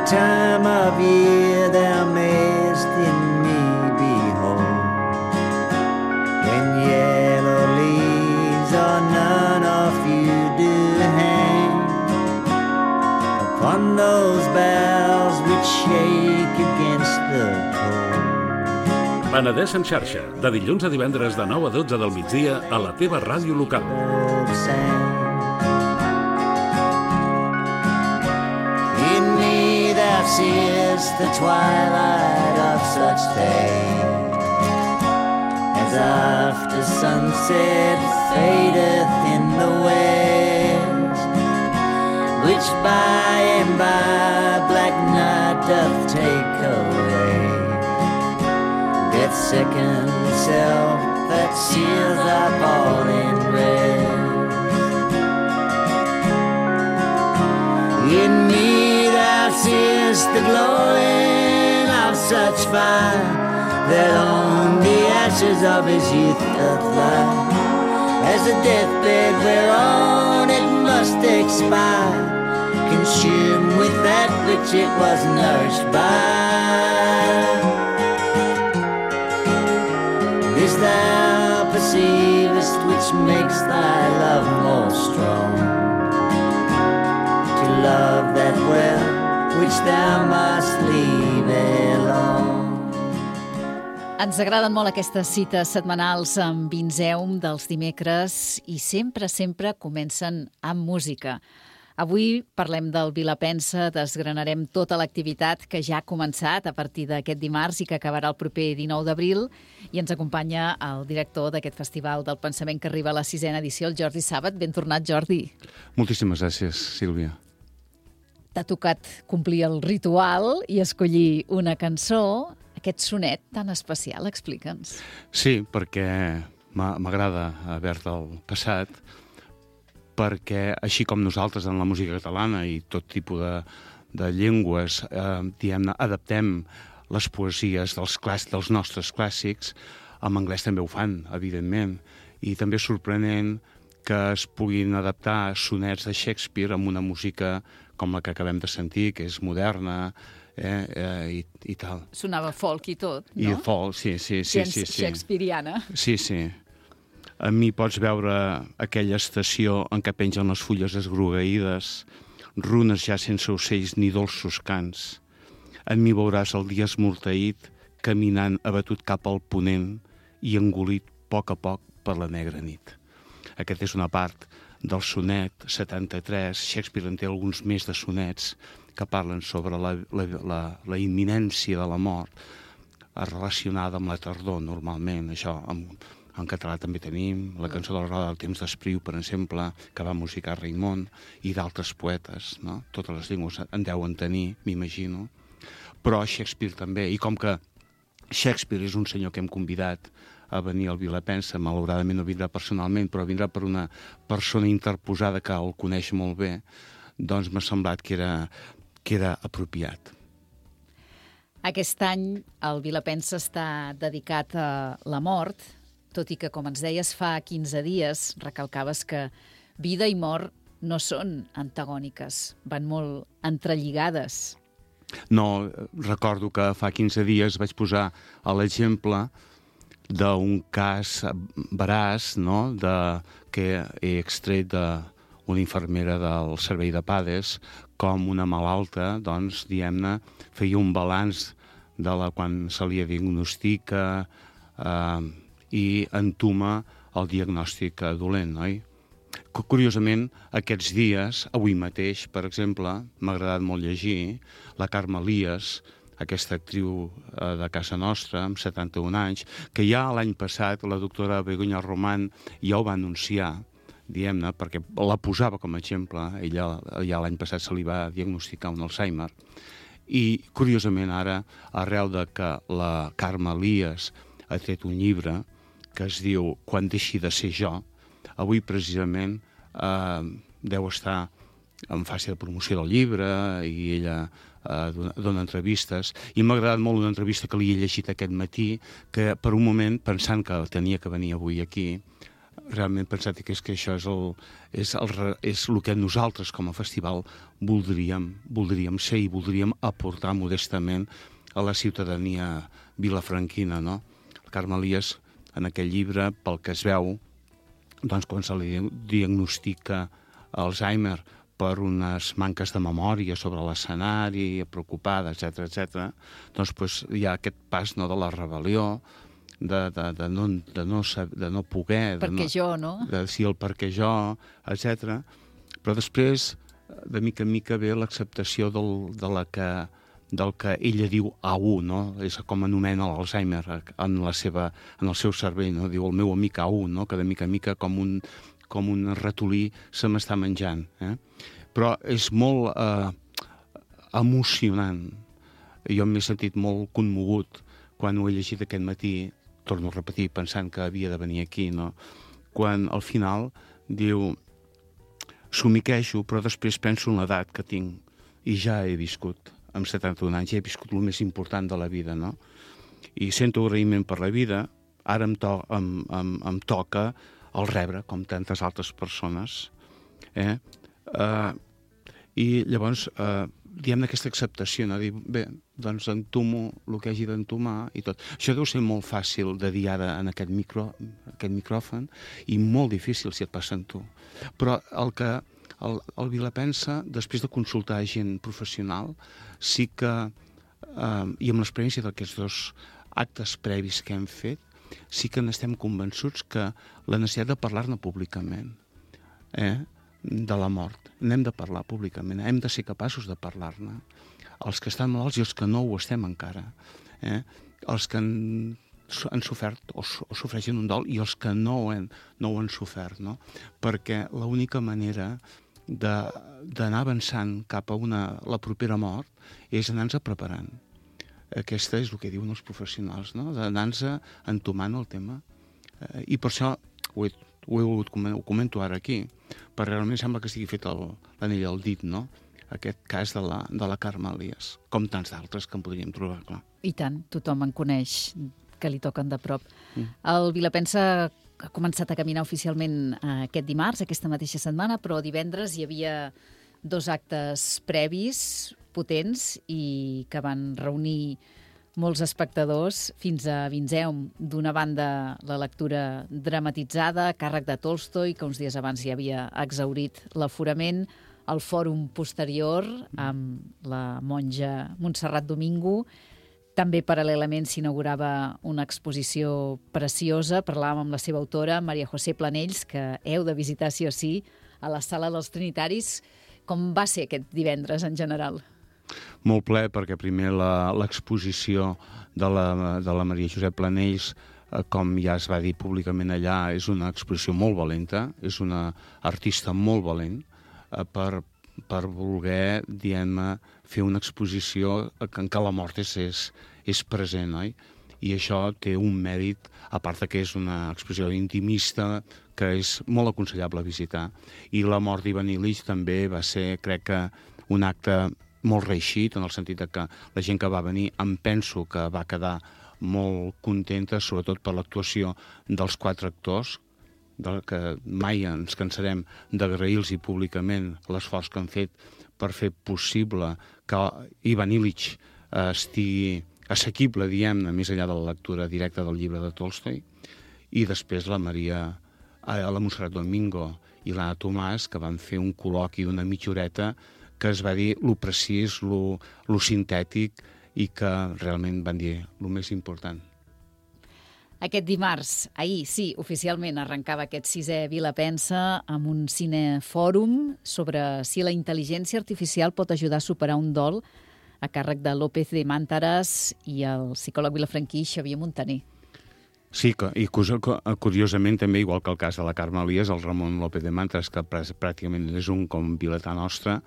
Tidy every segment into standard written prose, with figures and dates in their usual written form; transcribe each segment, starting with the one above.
time of year thou mayest in me behold, when yellow leaves or none of you do hang upon those boughs which shake against the cold. Penedès en xarxa, de dilluns a divendres de 9 a 12 del migdia a la teva ràdio local. In me thou seest the twilight of such days, as after sunset fadeth in the west, which by and by black night doth take away, death's second self that seals up all in rest. In me thou seest the glowing of such fire, that on the ashes of his youth doth lie, as a deathbed whereon it must expire, consumed with that which it was nourished by. This thou perceivest which makes thy love more strong, to love that well which thou must leave alone. Ens agraden molt aquestes cites setmanals amb Vinzeum dels dimecres i sempre comencen amb música. Avui parlem del Vilapensa, desgranarem tota l'activitat que ja ha començat a partir d'aquest dimarts i que acabarà el proper 19 d'abril, i ens acompanya el director d'aquest Festival del Pensament que arriba a la 6ª edició, el Jordi Sàbat. Ben tornat, Jordi. Moltíssimes gràcies, Sílvia. T'ha tocat complir el ritual i escollir una cançó, aquest sonet tan especial, explica'ns. Sí, perquè m'agrada haver-te'l passat, perquè així com nosaltres en la música catalana i tot tipus de llengües, diguem-ne, adaptem les poesies dels nostres clàssics, en anglès també ho fan, evidentment, i també és sorprenent que es puguin adaptar sonets de Shakespeare amb una música com la que acabem de sentir, que és moderna, i tal. Sonava folk i tot, no? I folk, sí. Shakespeariana. Sí. A mi pots veure aquella estació en què pengen les fulles esgrogueïdes, runes ja sense ocells ni dolços cants. En mi veuràs el dia esmorteït, caminant abatut cap al ponent i engolit a poc per la negra nit. Aquesta és una part del sonet 73. Shakespeare en té alguns més de sonets que parlen sobre la imminència de la mort, relacionada amb la tardor, normalment. Això en català també tenim la cançó de la Roda del Temps d'Espriu, per exemple, que va musicar Raimon, i d'altres poetes, no? Totes les llengües en deuen tenir, m'imagino. Però Shakespeare també, i com que Shakespeare és un senyor que hem convidat a venir al Vilapensa, malauradament no vindrà personalment, però vindrà per una persona interposada que el coneix molt bé, doncs m'ha semblat que era apropiat. Aquest any el Vilapensa està dedicat a la mort, tot i que, com ens deies fa 15 dies, recalcaves que vida i mort no són antagòniques, van molt entrelligades. No, recordo que fa 15 dies vaig posar l'exemple d'un cas veraç, no?, que he extret d'una infermera del servei de PADES, com una malalta, doncs, diguem-ne, feia un balanç de quan se li diagnostica i entuma el diagnòstic dolent, oi? Curiosament, aquests dies, avui mateix, per exemple, m'ha agradat molt llegir la Carme Elias, aquesta actriu de casa nostra, amb 71 anys, que ja l'any passat la doctora Begoña Román ja ho va anunciar, diguem-ne, perquè la posava com a exemple. Ella ja l'any passat se li va diagnosticar un Alzheimer. I, curiosament, ara, arrel de que la Carme Elias ha tret un llibre que es diu Quan deixi de ser jo, avui precisament deu estar en fase de promoció del llibre i ella dona entrevistes, i m'ha agradat molt una entrevista que li he llegit aquest matí, que per un moment, pensant que tenia que venir avui aquí, realment pensat que això és el que nosaltres com a festival voldríem ser i voldríem aportar modestament a la ciutadania vilafranquina, no? El Carme Elias, en aquell llibre, pel que es veu, doncs quan se li diagnostica Alzheimer per unes manques de memòria sobre l'escenari, preocupada, etc., doncs hi ha aquest pas, no, de la rebel·lió, de no poder... Perquè jo, no? Sí, el perquè jo, etc. Però després, de mica en mica, ve l'acceptació del que ella diu AU, no? És com anomena l'Alzheimer en el seu cervell, no? Diu el meu amic AU, no? Que de mica en mica com un ratolí se m'està menjant. Però és molt emocionant. Jo m'he sentit molt commogut quan ho he llegit aquest matí, torno a repetir, pensant que havia de venir aquí, no? Quan al final diu somiquejo, però després penso en l'edat que tinc i ja he viscut, amb 71 anys, ja he viscut el més important de la vida, no? I sento agraïment per la vida, ara em toca el rebre, com tantes altres persones, i llavors diem aquesta acceptació, no? Dir, bé, doncs entomo el que hagi d'entomar i tot. Això deu ser molt fàcil de dir ara en aquest micròfon i molt difícil si et passa en tu. Però el Vilapensa, després de consultar gent professional, sí que, i amb l'experiència d'aquests 2 actes previs que hem fet, sí que n'estem convençuts que la necessitat de parlar-ne públicament, de la mort, n'hem de parlar públicament, hem de ser capaços de parlar-ne, els que estan malalts i els que no ho estem encara, els que han sofert o sofreixen un dol i els que no ho han sofert, no? Perquè l'única manera d'anar avançant cap a la propera mort és anar-nos preparant. Aquesta és el que diuen els professionals, no? D'anar-nos entomant el tema. I per això ho comento ara aquí, perquè realment sembla que estigui fet l'anell al dit, no? Aquest cas de la Carme Elias, com tants d'altres que en podríem trobar, clar. I tant, tothom en coneix, que li toquen de prop. El Vilapensa ha començat a caminar oficialment aquest dimarts, aquesta mateixa setmana, però divendres hi havia 2 actes previs potents i que van reunir molts espectadors fins a Vinzeum. D'una banda, la lectura dramatitzada a càrrec de Tolstoi, que uns dies abans ja havia exhaurit l'aforament, el fòrum posterior amb la monja Montserrat Domingo. També paral·lelament s'inaugurava una exposició preciosa. Parlàvem amb la seva autora, Maria José Planells, que heu de visitar sí o sí a la Sala dels Trinitaris. Com va ser aquest divendres en general? Molt ple, perquè primer l'exposició de la Maria José Planells, com ja es va dir públicament allà, és una exposició molt valenta, és una artista molt valent per voler, diguem-ne, fer una exposició en què la mort és present, oi? I això té un mèrit, a part que és una exposició intimista que és molt aconsellable visitar. I la mort d'Ivan Illich també va ser, crec que, un acte molt reeixit, en el sentit que la gent que va venir em penso que va quedar molt contenta, sobretot per l'actuació dels 4 actors, que mai ens cansarem d'agrair-los públicament l'esforç que han fet per fer possible que Ivan Illich estigui assequible, diguem-ne, més enllà de la lectura directa del llibre de Tolstoi, i després la Montserrat Domingo i l'Anna Tomàs, que van fer un col·loqui d'una mitja horeta que es va dir lo precís, lo sintètic, i que realment van dir el més important. Aquest dimarts, ahir, sí, oficialment arrencava aquest 6è Vilapensa amb un cinefòrum sobre si la intel·ligència artificial pot ajudar a superar un dol, a càrrec de López de Mántaras i el psicòleg vilafranquí Xavier Montaner. Sí, i curiosament també, igual que el cas de la Carme Elias, el Ramon López de Mántaras, que pràcticament és un com vilatà nostre,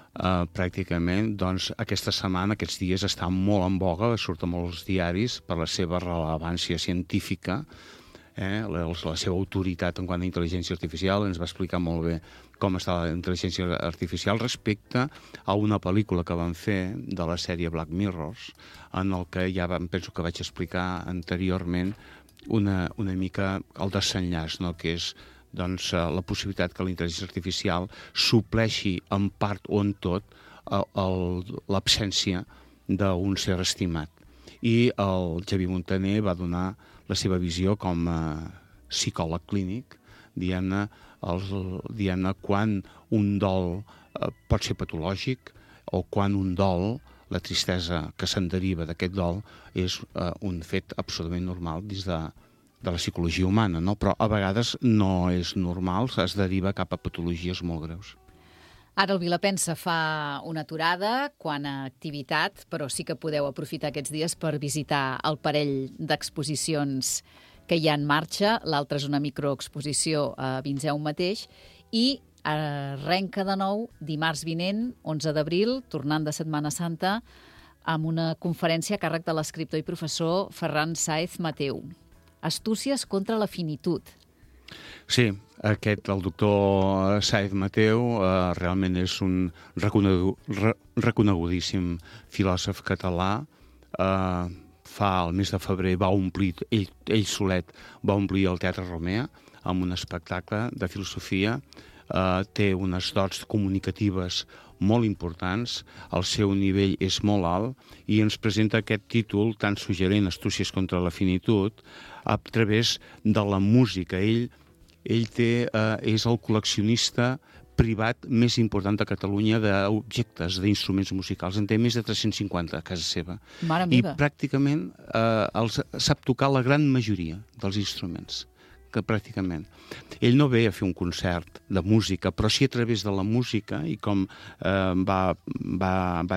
pràcticament, doncs aquesta setmana, aquests dies, està molt en boga, surt a molts diaris per la seva rellevància científica, la seva autoritat en quant a intel·ligència artificial. Ens va explicar molt bé com està la intel·ligència artificial respecte a una pel·lícula que van fer de la sèrie Black Mirrors, en el que ja penso que vaig explicar anteriorment una mica el desenllaç, no? Que és la possibilitat que la intel·ligència artificial supleixi en part o en tot l'absència d'un ser estimat. I el Xavier Montaner va donar la seva visió com a psicòleg clínic, diguem-ne, quan un dol pot ser patològic o quan un dol, la tristesa que se'n deriva d'aquest dol, és un fet absolutament normal dins de la psicologia humana, no? Però a vegades no és normal, es deriva cap a patologies molt greus. Ara el Vilapensa fa una aturada quant a activitat, però sí que podeu aprofitar aquests dies per visitar el parell d'exposicions que hi ha en marxa. L'altra és una microexposició a Vinzeu mateix i arrenca de nou dimarts vinent, 11 d'abril, tornant de Setmana Santa, amb una conferència a càrrec de l'escriptor i professor Ferran Sáez Mateu. Astúcies contra la finitud. Sí, el doctor Sáez Mateu realment és un reconegudíssim filòsof català. El mes de febrer va omplir, ell solet va omplir el Teatre Romea amb un espectacle de filosofia. Té unes dots comunicatives molt importants, el seu nivell és molt alt i ens presenta aquest títol tan suggerent, Astúcies contra la finitud, a través de la música. Ell és el col·leccionista privat més important de Catalunya d'objectes, d'instruments musicals. En té més de 350 a casa seva. Mare meva. I pràcticament sap tocar la gran majoria dels instruments. Que pràcticament. Ell no ve a fer un concert de música, però sí a través de la música, i com va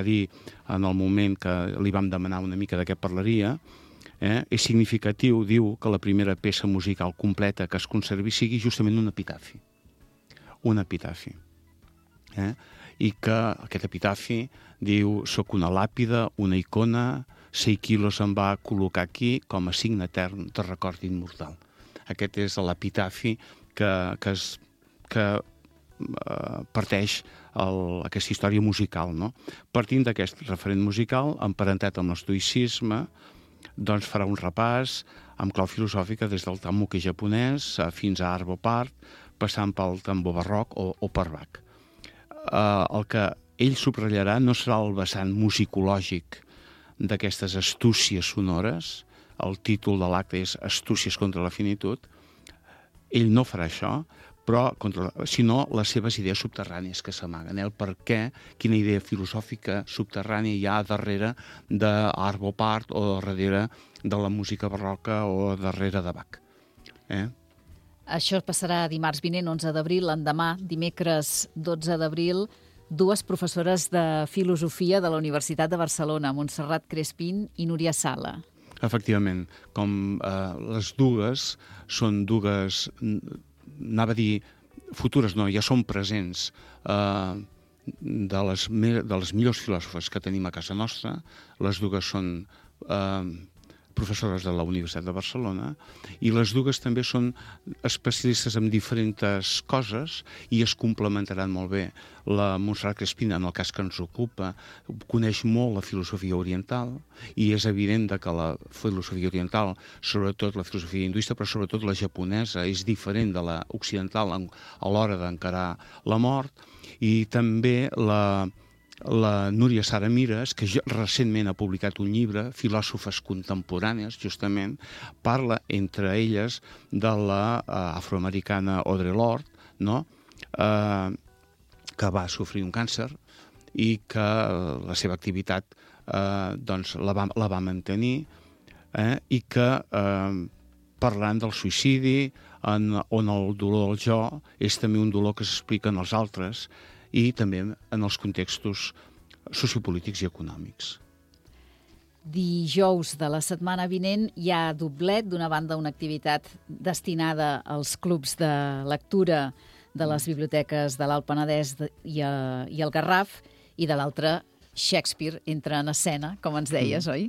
dir en el moment que li vam demanar una mica de què parlaria, és significatiu, diu, que la primera peça musical completa que es conservi sigui justament un epitafi. Un epitafi. I que aquest epitafi diu: soc una làpida, una icona, 6 quilos em va col·locar aquí com a signe etern de record immortal. Aquest és l'epitafi que parteix aquesta història musical, no? Partint d'aquest referent musical, emparentat amb l'estoïcisme, doncs farà un repàs amb clau filosòfica des del Tamuke japonès fins a Arvo Pärt, passant pel tambor barroc o per Bach. El que ell subratllarà no serà el vessant musicològic d'aquestes astúcies sonores. El títol de l'acte és Astúcies contra la finitud. Ell no farà això, sinó les seves idees subterrànies que s'amaguen. El per què, quina idea filosòfica subterrània hi ha darrere d'Arvo Pärt o darrere de la música barroca o darrere de Bach. Això passarà dimarts vinent, 11 d'abril. L'endemà, dimecres 12 d'abril, dues professores de filosofia de la Universitat de Barcelona, Montserrat Crespín i Núria Sala. Efectivament, com les dues són dues, anava a dir futures, no, ja són presents, de les millors filòsofes que tenim a casa nostra. Les dues són professores de la Universitat de Barcelona i les dues també són especialistes en diferents coses i es complementaran molt bé. La Montserrat Crespín, en el cas que ens ocupa, coneix molt la filosofia oriental i és evident que la filosofia oriental, sobretot la filosofia hinduista, però sobretot la japonesa, és diferent de la occidental a l'hora d'encarar la mort. I també la Núria Sara Mires, que recentment ha publicat un llibre, Filòsofes contemporànies, justament, parla entre elles de l'afroamericana Audre Lorde, no? Que va sofrir un càncer i que la seva activitat la va mantenir i que parlant del suïcidi, on el dolor del jo és també un dolor que s'explica en els altres i també en els contextos sociopolítics i econòmics. Dijous de la setmana vinent hi ha doblet. D'una banda, una activitat destinada als clubs de lectura de les biblioteques de l'Alt Penedès i el Garraf, i de l'altra, Shakespeare entra en escena, com ens deies, oi?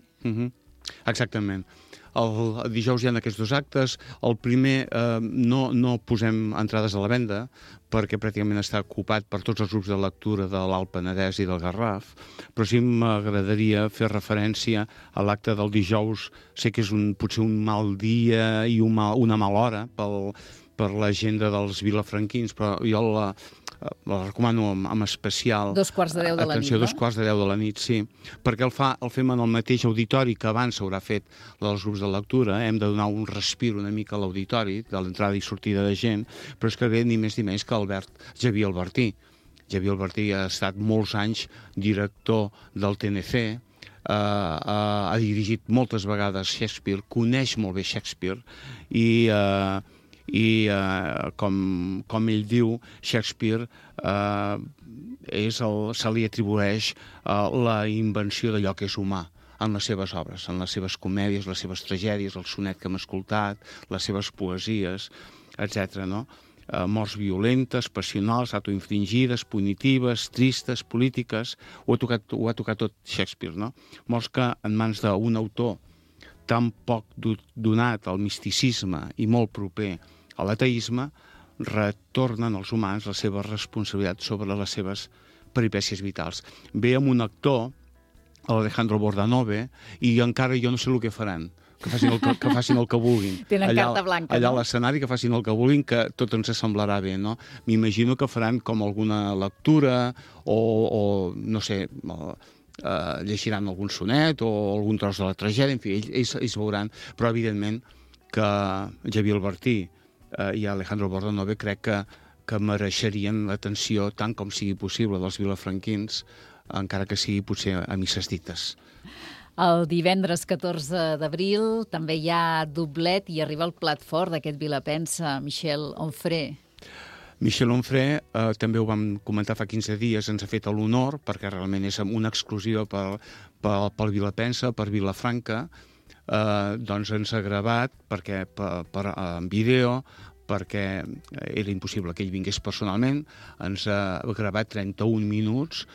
Exactament. El dijous hi ha aquests dos actes. El primer no posem entrades a la venda perquè pràcticament està ocupat per tots els grups de lectura de l'Alt Penedès i del Garraf, però sí m'agradaria fer referència a l'acte del dijous. Sé que és potser un mal dia i una mala hora per l'agenda dels vilafranquins, però jo la recomano amb especial 2:45 de la nit, atenció, no? 2:45 de la nit, sí, perquè el fem en el mateix auditori que abans s'haurà fet dels grups de lectura. Hem de donar un respir una mica a l'auditori, de l'entrada i sortida de gent, però és que ve ni més ni menys que Xavier Albertí. Xavier Albertí ha estat molts anys director del TNC, ha dirigit moltes vegades Shakespeare, coneix molt bé Shakespeare i com ell diu, Shakespeare se li atribueix la invenció d'allò que és humà en les seves obres, en les seves comèdies, les seves tragèdies, el sonet que hem escoltat, les seves poesies, etc. No? Morts violentes, passionals, autoinfringides, punitives, tristes, polítiques, ho ha tocat tot Shakespeare, no? Morts que en mans d'un autor tan poc donat al misticisme i molt proper a l'ateisme, retornen als humans la seva responsabilitat sobre les seves peripècies vitals. Ve amb un actor, l'Alejandro Bordanove, i encara jo no sé el que faran, que facin el que vulguin. Tenen carta blanca, allà no? a l'escenari, que facin el que vulguin, que tot ens semblarà bé, no? M'imagino que faran com alguna lectura o no sé, llegiran algun sonet o algun tros de la tragèdia, en fi, ells veuran, però evidentment que Xavier Albertí i Alejandro Bordanove crec que mereixerien l'atenció tant com sigui possible dels vilafranquins, encara que sigui potser a misses dites. El divendres 14 d'abril també hi ha doblet i arriba el plat fort d'aquest Vilapensa, Michel Onfray. Michel Onfray, també ho vam comentar fa 15 dies, ens ha fet l'honor, perquè realment és una exclusiva pel Vilapensa, per Vilafranca, doncs ens ha gravat en vídeo, perquè era impossible que ell vingués personalment, ens ha gravat 31 minuts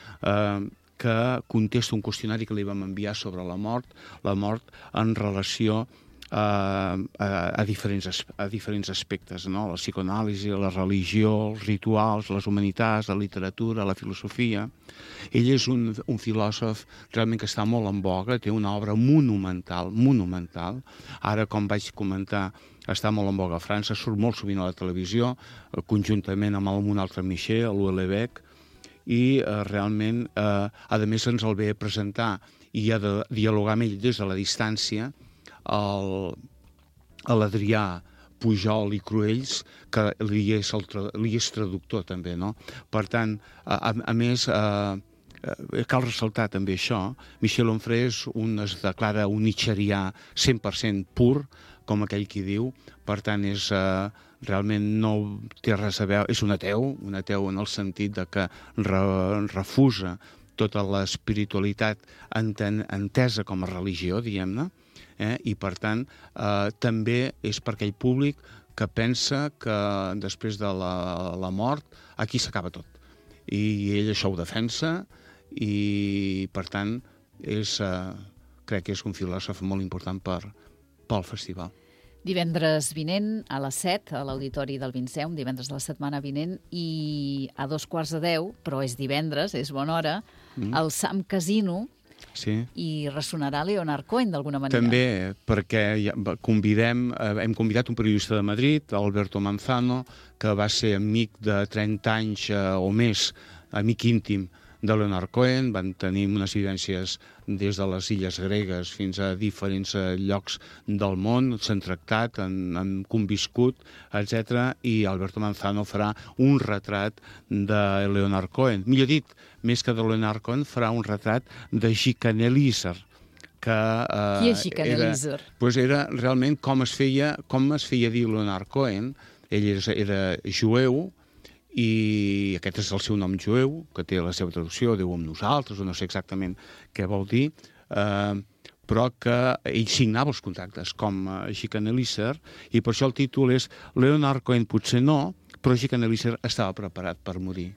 que contesta un qüestionari que li vam enviar sobre la mort en relació a diferents aspectes, no? La psicoanàlisi, la religió, els rituals, les humanitats, la literatura, la filosofia. Ell és un filòsof realment que està molt en voga, té una obra monumental. Ara, com vaig comentar, està molt en voga a França, surt molt sovint a la televisió, conjuntament amb un altre Michel, l'Houellebecq, i realment, a més, ens el ve a presentar i ha de dialogar amb ell des de la distància, l'Adrià Pujol i Cruells, que li és traductor també, no? Per tant, a més, cal ressaltar també això, Michel Onfray es declara un nietzscherià 100% pur, com aquell qui diu, per tant realment no té res a veure, és un ateu en el sentit de que refusa tota l'espiritualitat entesa com a religió, diguem-ne, i per tant també és per aquell públic que pensa que després de la mort aquí s'acaba tot, i ell això ho defensa i per tant crec que és un filòsof molt important pel festival. Divendres vinent a les 7 a l'Auditori del Vinceum, divendres de la setmana vinent, i a 2:15, però és divendres, és bona hora, al Sam Casino. Sí. I ressonarà Leonard Cohen d'alguna manera. També, perquè hem convidat un periodista de Madrid, Alberto Manzano, que va ser amic de 30 anys o més, amic íntim de Leonard Cohen. Van tenir unes vivències des de les illes gregues fins a diferents llocs del món, s'han tractat, han conviscut, etc. I Alberto Manzano farà un retrat de Leonard Cohen. Millor dit, més que de Leonard Cohen, farà un retrat de Jikan Eliezer. Qui és Jikan Eliezer? Era realment com es feia dir Leonard Cohen. Ell era jueu, i aquest és el seu nom jueu, que té la seva traducció, Déu amb nosaltres, o no sé exactament què vol dir, però que ell signava els contractes com Jikan Eliezer, i per això el títol és Leonard Cohen potser no, però Jikan Eliezer estava preparat per morir.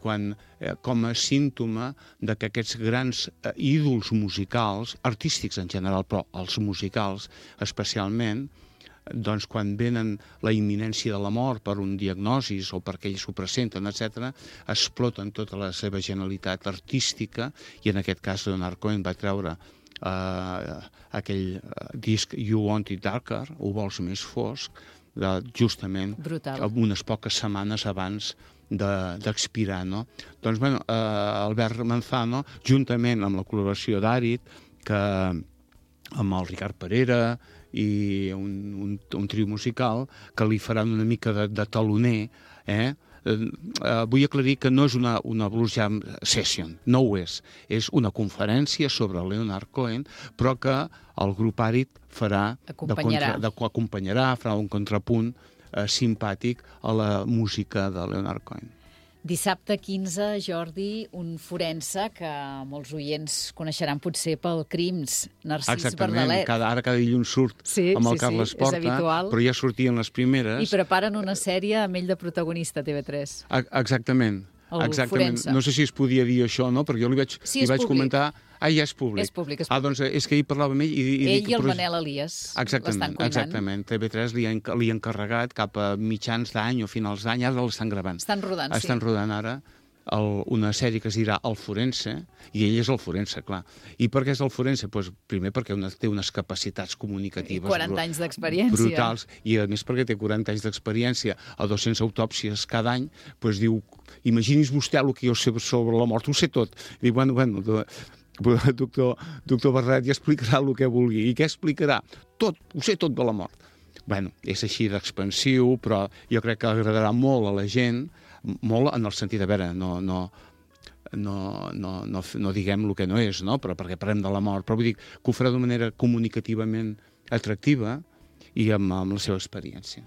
Com a símptoma de que aquests grans ídols musicals, artístics en general, però els musicals especialment, doncs quan venen la imminència de la mort per un diagnosis o perquè ells ho presenten, etc., exploten tota la seva genialitat artística, i en aquest cas Leonard Cohen va treure aquell disc You Want It Darker, ho vols més fosc, justament Brutal. unes poques setmanes abans d'expirar, no? Doncs, bueno, Albert Manzano, juntament amb la col·laboració d'Àrid, que amb el Ricard Parera i un trio musical que li faran una mica de taloner, vull aclarir que no és una blues jam session, no ho és una conferència sobre Leonard Cohen, però que el grup Àrid acompanyarà, farà un contrapunt simpàtic a la música de Leonard Cohen. Dissabte 15, Jordi, un forense que molts oients coneixeran potser pel Crims, Narcís Bardalet. Exactament, ara cada dilluns surt amb el Carles Porta, però ja sortien les primeres. I preparen una sèrie amb ell de protagonista a TV3. Exactament. No sé si es podia dir això o no, perquè jo li vaig comentar... Ja és públic. És públic. Doncs és que ahir parlàvem amb ell... Ell i el Manel Elias l'estan cuinant. Exactament. TV3 li ha encarregat cap a mitjans d'any o finals d'any, ara l'estan gravant. Estan rodant ara una sèrie que es dirà El Forense, i ell és el forense, clar. I per què és el forense? Primer perquè té unes capacitats comunicatives 40 anys d'experiència. Brutals, i a més perquè té 40 anys d'experiència a 200 autòpsies cada any, doncs diu, imagini's vostè el que jo sé sobre la mort, ho sé tot. I diu, bueno, doctor Barret ja explicarà el que vulgui. I què explicarà? Tot, ho sé tot de la mort. Bueno, és així d'expansiu, però jo crec que agradarà molt a la gent, molt en el sentit de, a veure, no diguem el que no és, no? Però perquè parlem de la mort, però vull dir que ho farà d'una manera comunicativament atractiva i amb la seva experiència.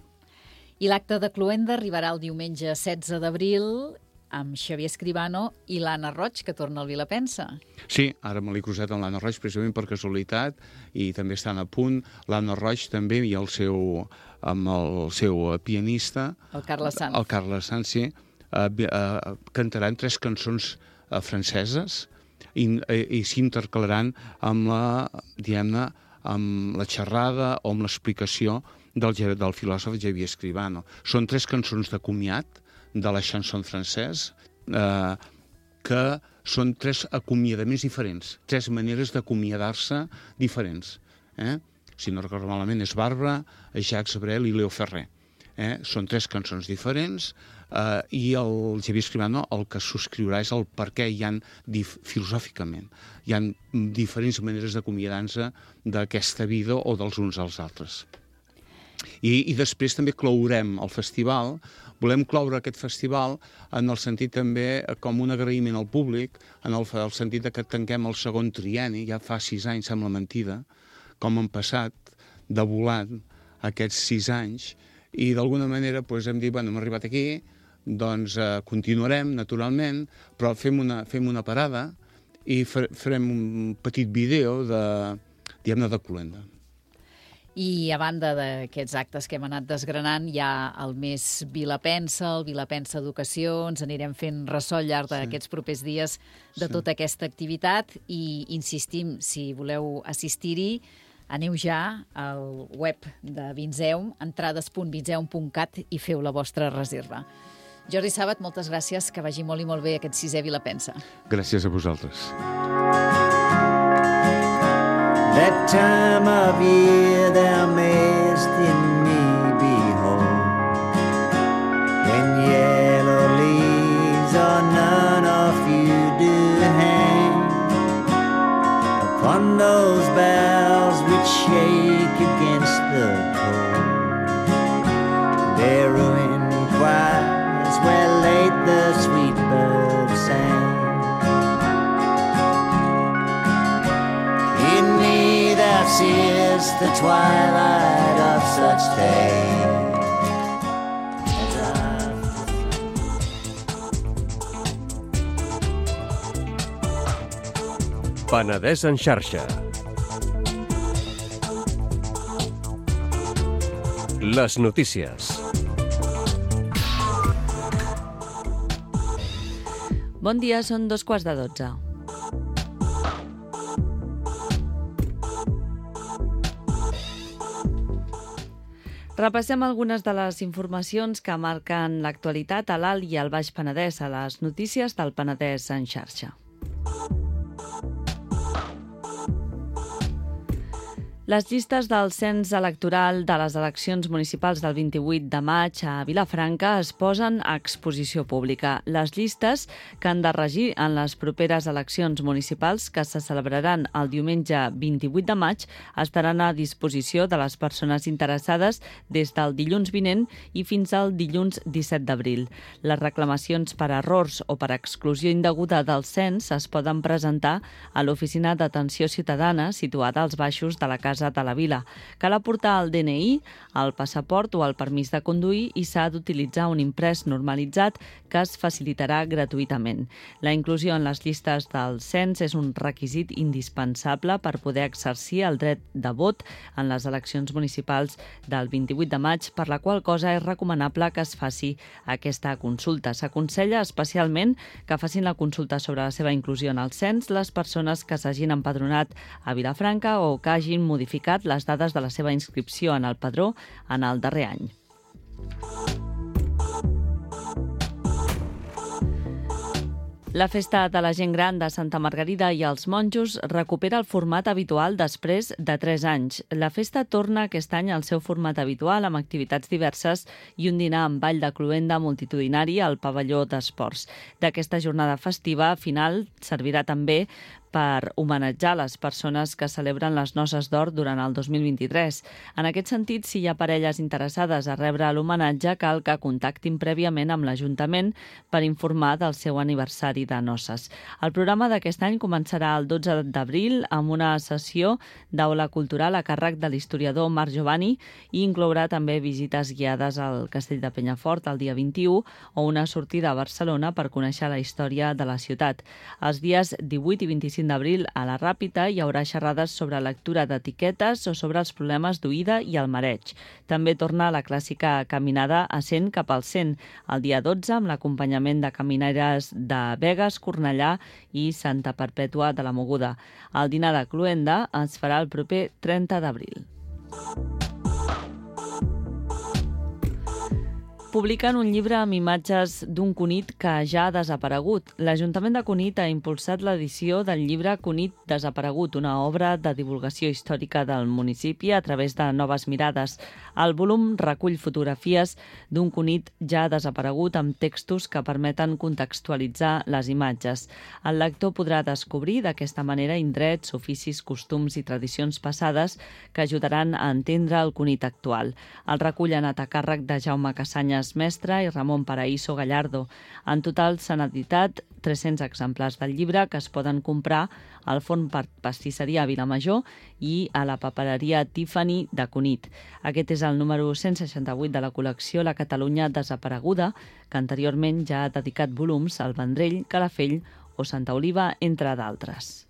I l'acte de Cluenda arribarà el diumenge 16 d'abril amb Xavier Escribano i l'Anna Roig, que torna al Vilapensa. Sí, ara me l'he cruzat amb l'Anna Roig precisament per casualitat, i també estan a punt. L'Anna Roig també i amb el seu pianista, el Carles Sanz. El Carles Sanz, sí, cantaran 3 cançons franceses i s'intercalaran amb la xerrada o amb l'explicació del filòsof Xavier Escribano. Són 3 cançons de comiat de la chanson francès, que són 3 acomiadaments diferents, 3 maneres d'acomiadar-se diferents. Si no recordo malament, és Barbara, Jacques Brel i Léo Ferré. Són 3 cançons diferents, i el Xavier Escribano el que subscriurà és el per què hi ha, filosòficament, hi ha diferents maneres d'acomiadar-se d'aquesta vida o dels uns als altres. I després també clourem el festival. Volem cloure aquest festival en el sentit també com un agraïment al públic, en el sentit que tanquem el segon trienni, ja fa 6 anys, sembla mentida, com han passat de volant aquests 6 anys, i d'alguna manera hem dit, hem arribat aquí, doncs continuarem, naturalment, però fem una parada i farem un petit vídeo de Cluenda. I a banda d'aquests actes que hem anat desgranant, hi ha el mes Vilapensa, el Vilapensa Educació, ens anirem fent ressò al llarg d'aquests propers dies de tota aquesta activitat i insistim, si voleu assistir-hi, aneu ja al web de Vinzeum, entrades.vinzeum.cat i feu la vostra reserva. Jordi Sàbat, moltes gràcies, que vagi molt i molt bé aquest 6è Vilapensa. Gràcies a vosaltres. That time of year thou mayest in me behold, when yellow leaves or none of you do hang upon those boughs which shake against the cold. Their ruin choirs where late the sweet birds sang. Thou seest the twilight of such days. Penedès en xarxa. Les notícies. Bon dia, són 2:15. Repassem algunes de les informacions que marquen l'actualitat a l'Alt i al Baix Penedès a les notícies del Penedès en xarxa. Les llistes del cens electoral de les eleccions municipals del 28 de maig a Vilafranca es posen a exposició pública. Les llistes que han de regir en les properes eleccions municipals que se celebraran el diumenge 28 de maig estaran a disposició de les persones interessades des del dilluns vinent i fins al dilluns 17 d'abril. Les reclamacions per errors o per exclusió indeguda del cens es poden presentar a l'Oficina d'Atenció Ciutadana situada als baixos de la Casa de la Vila. Cal aportar el DNI, el passaport o el permís de conduir i s'ha d'utilitzar un imprès normalitzat que es facilitarà gratuïtament. La inclusió en les llistes del cens és un requisit indispensable per poder exercir el dret de vot en les eleccions municipals del 28 de maig, per la qual cosa és recomanable que es faci aquesta consulta. S'aconsella especialment que facin la consulta sobre la seva inclusió en el cens les persones que s'hagin empadronat a Vilafranca o que hagin modificat les dades de la seva inscripció en el padró en el darrer any. La Festa de la Gent Gran de Santa Margarida i els Monjos recupera el format habitual després de 3 anys. La festa torna aquest any al seu format habitual amb activitats diverses i un dinar amb ball de cloenda multitudinari al pavelló d'esports. D'aquesta jornada festiva final servirà també per homenatjar les persones que celebren les noces d'or durant el 2023. En aquest sentit, si hi ha parelles interessades a rebre l'homenatge, cal que contactin prèviament amb l'Ajuntament per informar del seu aniversari de noces. El programa d'aquest any començarà el 12 d'abril amb una sessió d'aula cultural a càrrec de l'historiador Marc Giovanni i inclourà també visites guiades al Castell de Penyafort el dia 21 o una sortida a Barcelona per conèixer la història de la ciutat. Els dies 18 i 25 d'abril a la Ràpita hi haurà xerrades sobre lectura d'etiquetes o sobre els problemes d'oïda i el mareig. També torna la clàssica caminada a 100 cap al 100, el dia 12 amb l'acompanyament de camineres de Begues, Cornellà i Santa Perpètua de la Mogoda. El dinar de cloenda es farà el proper 30 d'abril. Publiquen un llibre amb imatges d'un Cunit que ja ha desaparegut. L'Ajuntament de Cunit ha impulsat l'edició del llibre Cunit desaparegut, una obra de divulgació històrica del municipi a través de noves mirades. El volum recull fotografies d'un Cunit ja desaparegut amb textos que permeten contextualitzar les imatges. El lector podrà descobrir d'aquesta manera indrets, oficis, costums i tradicions passades que ajudaran a entendre el Cunit actual. El recull ha anat a càrrec de Jaume Cassanyes Mestre i Ramon Paraíso Gallardo. En total s'han editat 300 exemplars del llibre que es poden comprar al Forn Pastisseria a Vilamajor i a la papereria Tiffany de Cunit. Aquest és el número 168 de la col·lecció La Catalunya desapareguda, que anteriorment ja ha dedicat volums al Vendrell, Calafell o Santa Oliva, entre d'altres.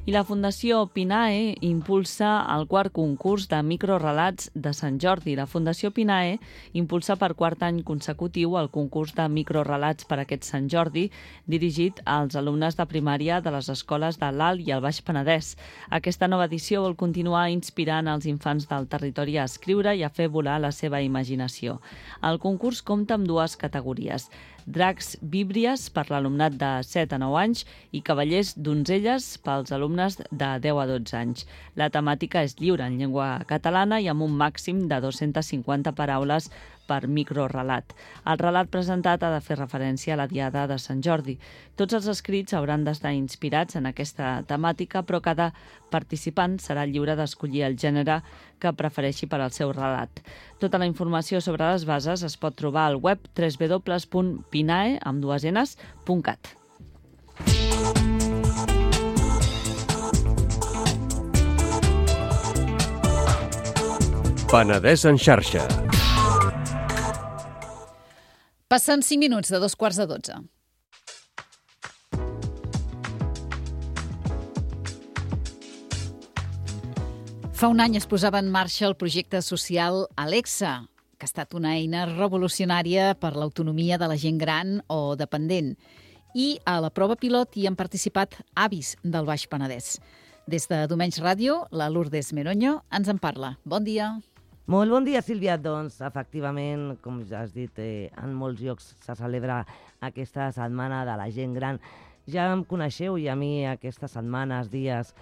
I la Fundació Pinae impulsa el quart concurs de microrelats de Sant Jordi. La Fundació Pinae impulsa per quart any consecutiu el concurs de microrelats per aquest Sant Jordi, dirigit als alumnes de primària de les escoles de l'Alt i el Baix Penedès. Aquesta nova edició vol continuar inspirant els infants del territori a escriure i a fer volar la seva imaginació. El concurs compta amb 2 categories: dracs víbries per l'alumnat de 7 a 9 anys i cavallers donzelles pels alumnes de 10 a 12 anys. La temàtica és lliure en llengua catalana i amb un màxim de 250 paraules per microrelat. El relat presentat ha de fer referència a la Diada de Sant Jordi. Tots els escrits hauran d'estar inspirats en aquesta temàtica, però cada participant serà lliure d'escollir el gènere que prefereixi per al seu relat. Tota la informació sobre les bases es pot trobar al web www.pinae.cat. Penedès en xarxa. Passen 5 minuts de 2:15. Fa un any es posava en marxa el projecte social Alexa, que ha estat una eina revolucionària per l'autonomia de la gent gran o dependent. I a la prova pilot hi han participat avis del Baix Penedès. Des de Domenys Ràdio, la Lourdes Meroño ens en parla. Bon dia. Molt bon dia, Sílvia. Doncs, efectivament, com ja has dit, en molts llocs se celebra aquesta setmana de la gent gran Ja em coneixeu i a mi aquestes setmanes, dies,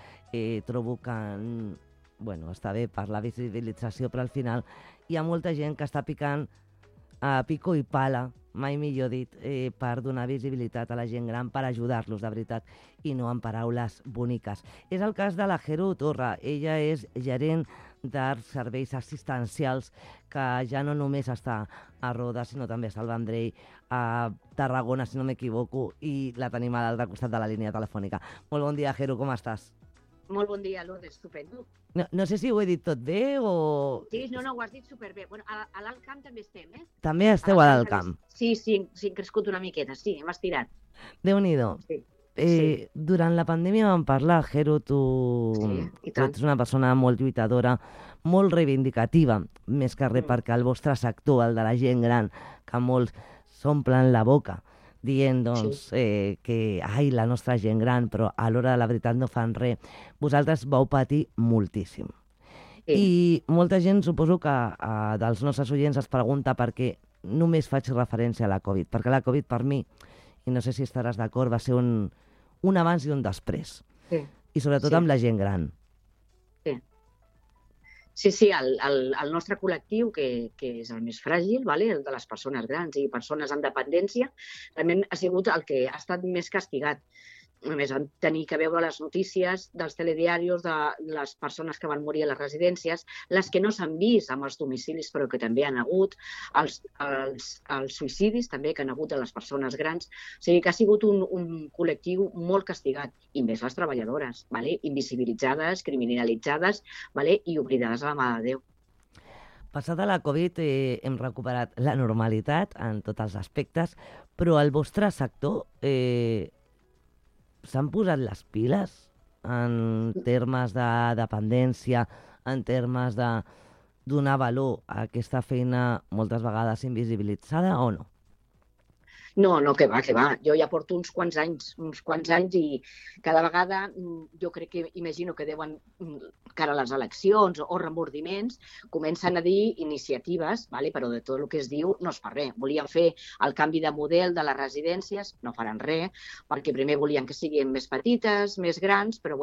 trobo que està bé per la visibilització, però al final hi ha molta gent que està picant a pico i pala, mai millor dit, per donar visibilitat a la gent gran, per ajudar-los de veritat, i no amb paraules boniques. És el cas de la Jero Torra. Ella és gerent d'Arts Serveis Assistencials, que ja no només està a Roda, sinó també està al Vendrell, a Tarragona, si no m'equivoco, i la tenim a l'altre costat de la línia telefònica. Molt bon dia, Jero, com estàs? Molt bon dia, Lourdes, estupendo. No sé si ho he dit tot bé o... Sí, no, ho has dit superbé. Bueno, a l'Alt Camp també estem, eh? També esteu a l'Alt Camp. Sí, hem crescut una miqueta, sí, hem estirat. Déu-n'hi-do. Sí. Durant la pandèmia vam parlar, Jero, tu ets una persona molt lluitadora, molt reivindicativa, més que res perquè el vostre sector, el de la gent gran, que molts s'omplen la boca dient que la nostra gent gran, però a l'hora de la veritat no fan res. Vosaltres vau patir moltíssim. I molta gent, suposo que dels nostres oients es pregunta per què només faig referència a la Covid, perquè la Covid per mi, i no sé si estaràs d'acord, va ser un abans i un després. I sobretot amb la gent gran. Sí, el nostre col·lectiu, que és el més fràgil, el de les persones grans i persones amb dependència, realment ha sigut el que ha estat més castigat. Només vam tenir que veure les notícies dels telediaris de les persones que van morir a les residències, les que no s'han vist amb els domicilis però que també han hagut, els suïcidis també que han hagut de les persones grans. O sigui que ha sigut un col·lectiu molt castigat, i més les treballadores, invisibilitzades, criminalitzades i oblidades a la mà de Déu. Passada la Covid hem recuperat la normalitat en tots els aspectes, però el vostre sector s'han posat les piles en termes de dependència, en termes de donar valor a aquesta feina moltes vegades invisibilitzada o no? No, que va. Jo ja porto uns quants anys i cada vegada jo crec que imagino que deuen, cara a les eleccions o remordiments, comencen a dir iniciatives, però de tot el que es diu no es fa res. Volien fer el canvi de model de les residències, no faran res, perquè primer volien que siguin més petites, més grans, però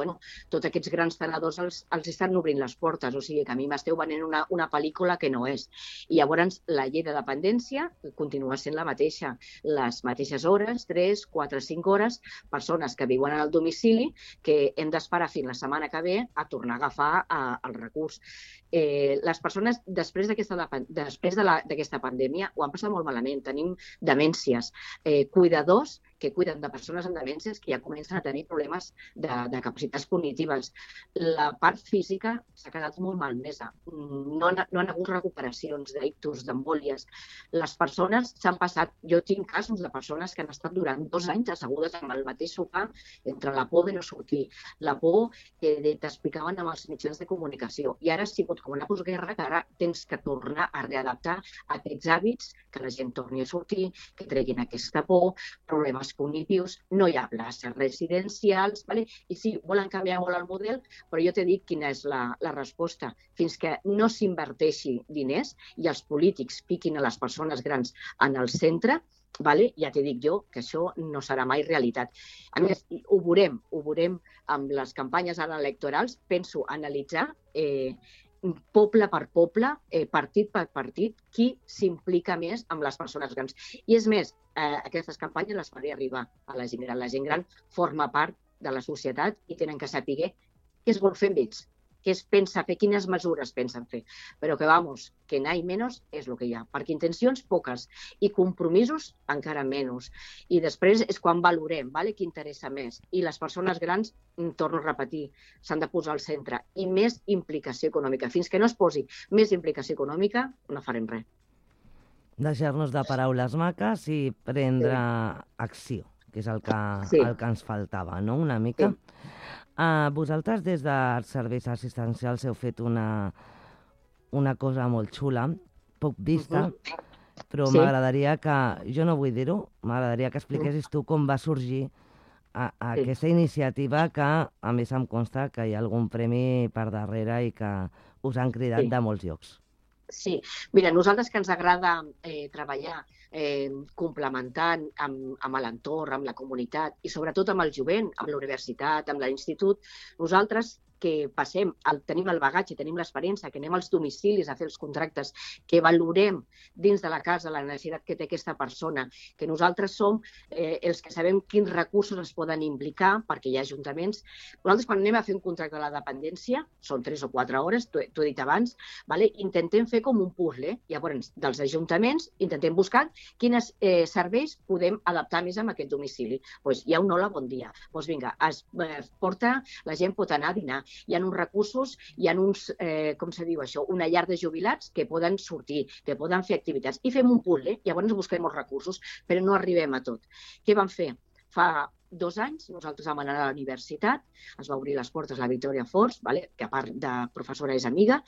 tots aquests grans tenedors els estan obrint les portes, o sigui que a mi m'esteu venent una pel·lícula que no és. I llavors la llei de dependència continua sent la mateixa. Les mateixes hores, 3, 4, 5 hores, persones que viuen al domicili que hem d'esperar fins la setmana que ve a tornar a agafar el recurs. Les persones, després d'aquesta pandèmia, ho han passat molt malament. Tenim demències, cuidadors que cuiden de persones amb demències que ja comencen a tenir problemes de capacitats cognitives. La part física s'ha quedat molt malmesa. No han hagut recuperacions d'ictus, d'embòlies. Les persones s'han passat... Jo tinc casos de persones que han estat durant 2 anys assegudes amb el mateix sofà entre la por de no sortir, la por que t'explicaven amb els mitjans de comunicació. I ara ha sigut com una postguerra que ara tens que tornar a readaptar aquests hàbits, que la gent torni a sortir, que treguin aquesta por, problemes cognitius, no hi ha places residencials, i sí, volen canviar molt el model, però jo t'he dit quina és la resposta. Fins que no s'inverteixi diners i els polítics piquin a les persones grans en el centre, ja t'he dit jo que això no serà mai realitat. A més, ho veurem amb les campanyes ara electorals, penso analitzar poble per poble, partit per partit, qui s'implica més amb les persones grans. I és més, aquestes campanyes les faré arribar a la gent gran. La gent gran forma part de la societat i tenen que saber què es vol fer amb ells, què es pensa fer, quines mesures pensen fer. Però que n'hi menys és el que hi ha, perquè intencions poques i compromisos encara menys. I després és quan valorem qui interessa més. I les persones grans, torno a repetir, s'han de posar al centre. I més implicació econòmica. Fins que no es posi més implicació econòmica, no farem res. Deixar-nos de paraules maques i prendre acció, que és el que ens faltava, no? Una mica. Vosaltres, des dels serveis assistencials, heu fet una cosa molt xula, poc vista, però m'agradaria que, jo no vull dir-ho, m'agradaria que expliquessis tu com va sorgir aquesta iniciativa que, a més, em consta que hi ha algun premi per darrere i que us han cridat de molts llocs. Sí, mira, nosaltres que ens agrada treballar complementant amb l'entorn, amb la comunitat i sobretot amb el jovent, amb la universitat, amb l'institut, nosaltres que tenim el bagatge, tenim l'experiència, que anem als domicilis a fer els contractes, que valorem dins de la casa la necessitat que té aquesta persona, que nosaltres som els que sabem quins recursos es poden implicar, perquè hi ha ajuntaments. Nosaltres quan anem a fer un contracte de la dependència, són 3 o 4 hores, t'ho he dit abans, intentem fer com un puzzle. Llavors, dels ajuntaments, intentem buscar quins serveis podem adaptar més a aquest domicili. Hi ha un hola, bon dia. Vinga, la gent pot anar a dinar. Hi ha uns recursos, hi ha uns, com se diu això, una llar de jubilats que poden sortir, que poden fer activitats. I fem un puzzle, llavors busquem els recursos, però no arribem a tot. Què vam fer? Fa 2 anys nosaltres vam anar a la universitat, es va obrir les portes la Victòria Forns, que a part de professora és amiga,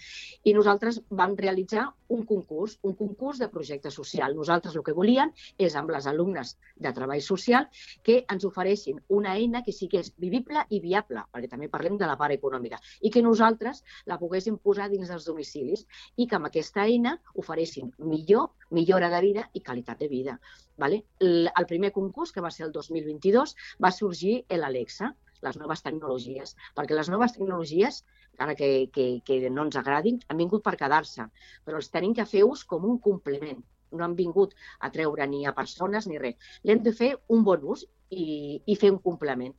i nosaltres vam realitzar un concurs de projecte social. Nosaltres el que volíem és amb les alumnes de treball social que ens ofereixin una eina que sí que és vivible i viable, perquè també parlem de la part econòmica, i que nosaltres la poguéssim posar dins dels domicilis i que amb aquesta eina ofereixin millora de vida i qualitat de vida. El primer concurs, que va ser el 2022, va sorgir l'Alexa, les noves tecnologies, perquè les noves tecnologies, encara que no ens agradin, han vingut per quedar-se, però els tenim que fer ús com un complement. No han vingut a treure ni a persones ni res. L'hem de fer un bon ús i fer un complement.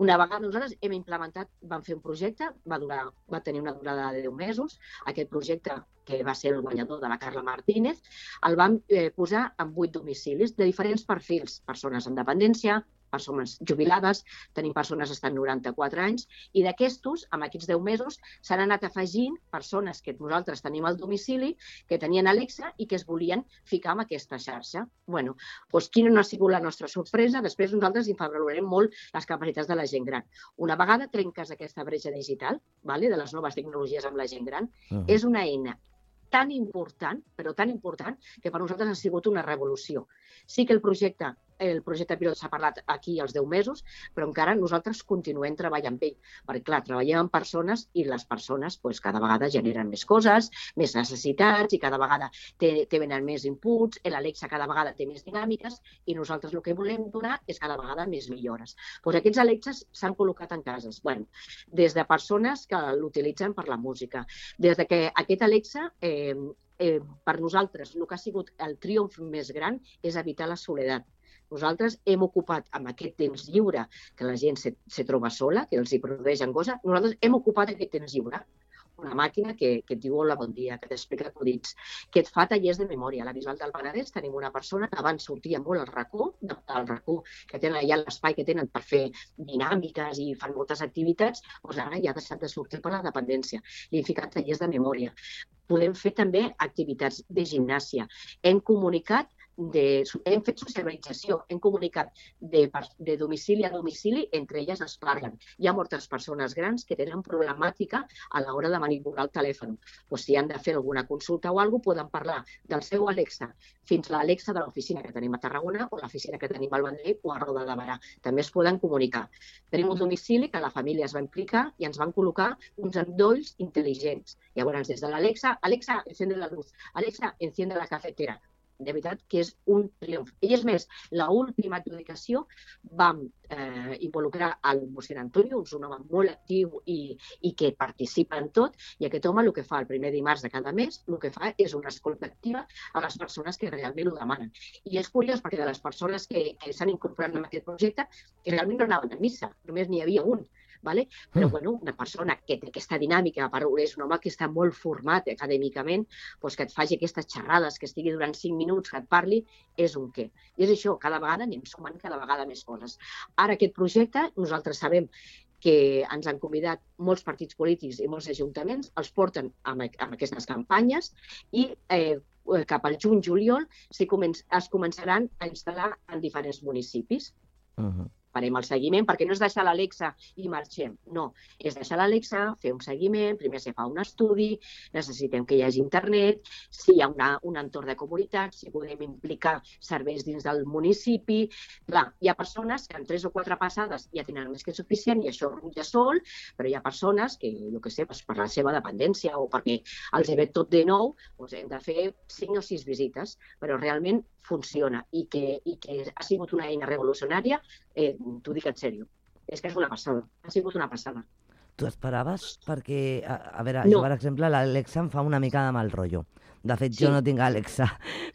Una vegada nosaltres hem implementat, vam fer un projecte, va tenir una durada de 10 mesos. Aquest projecte, que va ser el guanyador de la Carla Martínez, el vam posar en 8 domicilis de diferents perfils, persones amb dependència, persones jubilades, tenim persones que estan 94 anys, i d'aquestos, amb aquests 10 mesos, s'han anat afegint persones que nosaltres tenim al domicili, que tenien Alexa i que es volien ficar en aquesta xarxa. Quina no ha sigut la nostra sorpresa? Després nosaltres valorarem molt les capacitats de la gent gran. Una vegada trenques aquesta bretxa digital, de les noves tecnologies amb la gent gran, és una eina tan important, però tan important, que per nosaltres ha sigut una revolució. Sí que el projecte pilot s'ha parlat aquí als 10 mesos, però encara nosaltres continuem treballant amb ell, perquè, clar, treballem amb persones i les persones cada vegada generen més coses, més necessitats, i cada vegada tenen més inputs, l'Alexa cada vegada té més dinàmiques, i nosaltres el que volem donar és cada vegada més millores. Aquests Alexas s'han col·locat en cases, des de persones que l'utilitzen per la música, des de que aquest Alexa per nosaltres el que ha sigut el triomf més gran és evitar la soledat. Nosaltres hem ocupat amb aquest temps lliure que la gent se troba sola, que els hi produeix angoixa, nosaltres hem ocupat aquest temps lliure. Una màquina que et diu hola, bon dia, que t'explica acudits, que et fa tallers de memòria. A la Bisbal del Penedès tenim una persona que abans sortia molt al racó, que tenen allà l'espai que tenen per fer dinàmiques i fan moltes activitats, ara ja ha deixat de sortir per la dependència. Li hem ficat tallers de memòria. Podem fer també activitats de gimnàsia. Hem fet socialització, hem comunicat de domicili a domicili, entre elles es parlen. Hi ha moltes persones grans que tenen problemàtica a l'hora de manipular el telèfon. Si han de fer alguna consulta o alguna cosa, poden parlar del seu Alexa fins a l'Alexa de l'oficina que tenim a Tarragona o l'oficina que tenim al Vendrell o a Roda de Berà. També es poden comunicar. Tenim un domicili que la família es va implicar i ens van col·locar uns endolls intel·ligents. Llavors, des de l'Alexa, Alexa, enciende la luz, Alexa, enciende la cafetera. De veritat que és un triomf. I és més, l'última adjudicació vam involucrar el mossèn Antonio, un home molt actiu i que participa en tot, i aquest home el que fa el primer dimarts de cada mes, el que fa és una escolta activa a les persones que realment ho demanen. I és curiós perquè de les persones que s'han incorporat en aquest projecte, que realment no anaven a missa, només n'hi havia un. Però una persona que té aquesta dinàmica, és un home que està molt format acadèmicament, que et faci aquestes xerrades, que estigui durant 5 minuts, que et parli, és un què. I és això, cada vegada anem sumant cada vegada més coses. Ara aquest projecte, nosaltres sabem que ens han convidat molts partits polítics i molts ajuntaments, els porten amb aquestes campanyes i cap al juny-juliol es començaran a instal·lar en diferents municipis. farem el seguiment, perquè no és deixar l'Alexa i marxem, no, és deixar l'Alexa, fer un seguiment, primer se fa un estudi, necessitem que hi hagi internet, si hi ha un entorn de comunitat, si podem implicar serveis dins del municipi. Clar, hi ha persones que en 3 o 4 passades ja tenen més que suficient i això rutlla sol, però hi ha persones que, jo què sé, per la seva dependència o perquè els ve tot de nou, doncs hem de fer 5 o 6 visites, però realment funciona i que ha sigut una eina revolucionària, t'ho dic en sèrio. És que és una passada, ha sigut una passada. Tu esperaves? Perquè, a veure, jo, per exemple, l'Alexa em fa una mica de mal rotllo. De fet, jo no tinc Alexa,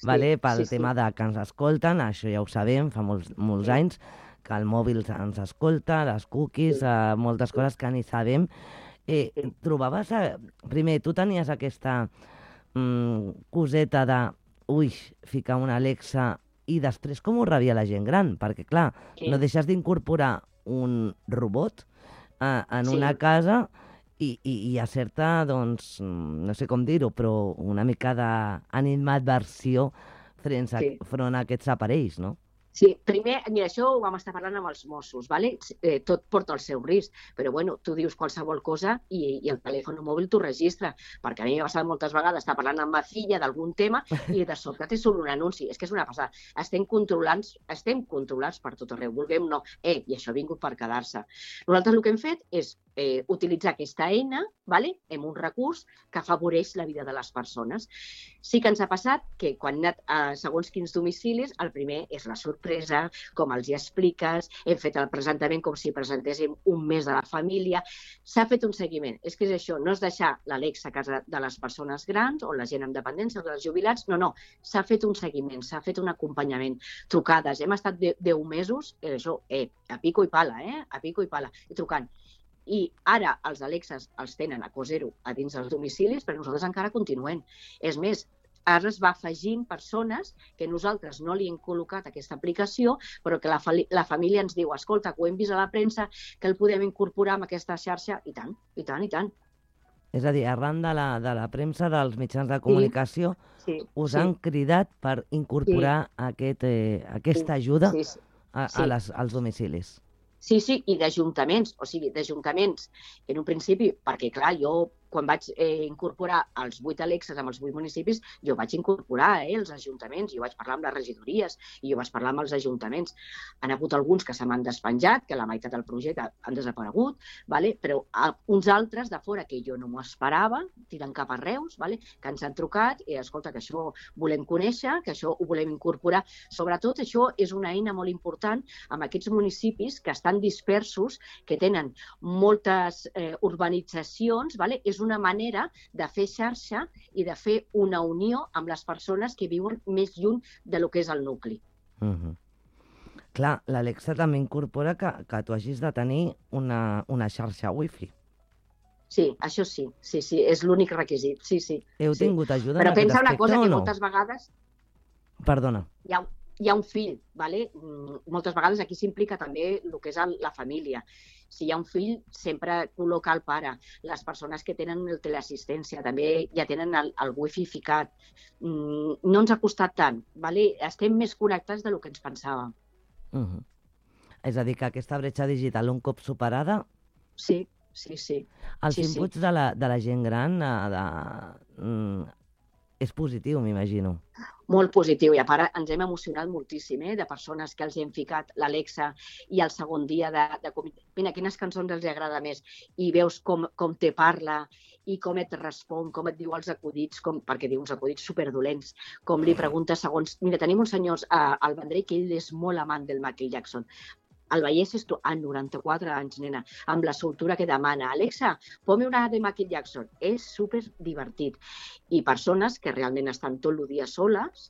pel tema de que ens escolten, això ja ho sabem, fa molts anys, que el mòbil ens escolta, les cookies, moltes coses que ni sabem. Trobaves... Primer, tu tenies aquesta coseta de, ficar una Alexa, i després com ho rebia la gent gran? Perquè, clar, no deixes d'incorporar un robot en una casa i hi ha certa, doncs, no sé com dir-ho, però una mica d'animadversió front a aquests aparells, no? Sí, primer, mira, això ho vam estar parlant amb els Mossos, ¿vale? Tot porta el seu risc, però bueno, tu dius qualsevol cosa i el telèfon mòbil t'ho registra, perquè a mi m'ha passat moltes vegades estar parlant amb ma filla d'algun tema i de sobte té solo un anunci. És que és una passada. Estem controlats per tot arreu, vulguem no. I això ha vingut per quedar-se. Nosaltres el que hem fet és utilitzar aquesta eina, ¿vale? Amb un recurs que afavoreix la vida de les persones. Sí que ens ha passat que quan hem anat a segons quins domicilis, el primer és la sorpresa, com els hi expliques, hem fet el presentament com si presentéssim un mes de la família, s'ha fet un seguiment. És que és això, no és deixar l'Alexa a casa de les persones grans o la gent amb dependència o dels jubilats, no, s'ha fet un seguiment, s'ha fet un acompanyament, trucades, hem estat 10 mesos, això, a pico i pala, a pico i pala, i trucant. I ara els Alexas els tenen a Cosero a dins dels domicilis, però nosaltres encara continuem. És més, ara es va afegint persones que nosaltres no li hem col·locat aquesta aplicació, però que la família ens diu, escolta, que ho hem vist a la premsa, que el podem incorporar en aquesta xarxa, i tant, i tant, i tant. És a dir, arran de la premsa dels mitjans de comunicació, us han cridat per incorporar aquesta ajuda als domicilis. Sí, i d'ajuntaments, que en un principi, perquè clar, jo quan vaig incorporar els 8 Alexas amb els 8 municipis, jo vaig incorporar els ajuntaments, jo vaig parlar amb les regidories i jo vaig parlar amb els ajuntaments. Han hagut alguns que se m'han despenjat, que la meitat del projecte han desaparegut, però uns altres de fora que jo no m'ho esperava, tirant cap a Reus, que ens han trucat i escolta, que això volem conèixer, que això ho volem incorporar. Sobretot això és una eina molt important amb aquests municipis que estan dispersos, que tenen moltes urbanitzacions, és una manera de fer xarxa i de fer una unió amb les persones que viuen més lluny de lo que és el nucli. Clar, l'Alexa també incorpora que tu hagis de tenir una xarxa wifi. Sí, això sí, és l'únic requisit, sí. Heu tingut ajuda en aquest aspecte o no? Però pensa una cosa, que moltes vegades... Perdona. Hi ha un fill, moltes vegades aquí s'implica també el que és la família. Si hi ha un fill, sempre col·loca el pare. Les persones que tenen el teleassistència també ja tenen el wifi ficat. No ens ha costat tant, estem més connectats del que ens pensàvem. És a dir, que aquesta bretxa digital, un cop superada... Sí. Els inputs de la gent gran és positiu, m'imagino. Molt positiu, i a part ens hem emocionat moltíssim de persones que els hem ficat l'Alexa i el segon dia de mira, quines cançons els agrada més, i veus com te parla i com et respon, com et diu els acudits, perquè diu uns acudits superdolents, com li preguntes segons... Mira, tenim un senyor al Vendrell que ell és molt amant del Michael Jackson. El veiessis tu, 94 anys, nena, amb la soltura que demana. Alexa, ponme una de Michael Jackson. És super divertit. I persones que realment estan tot el dia soles,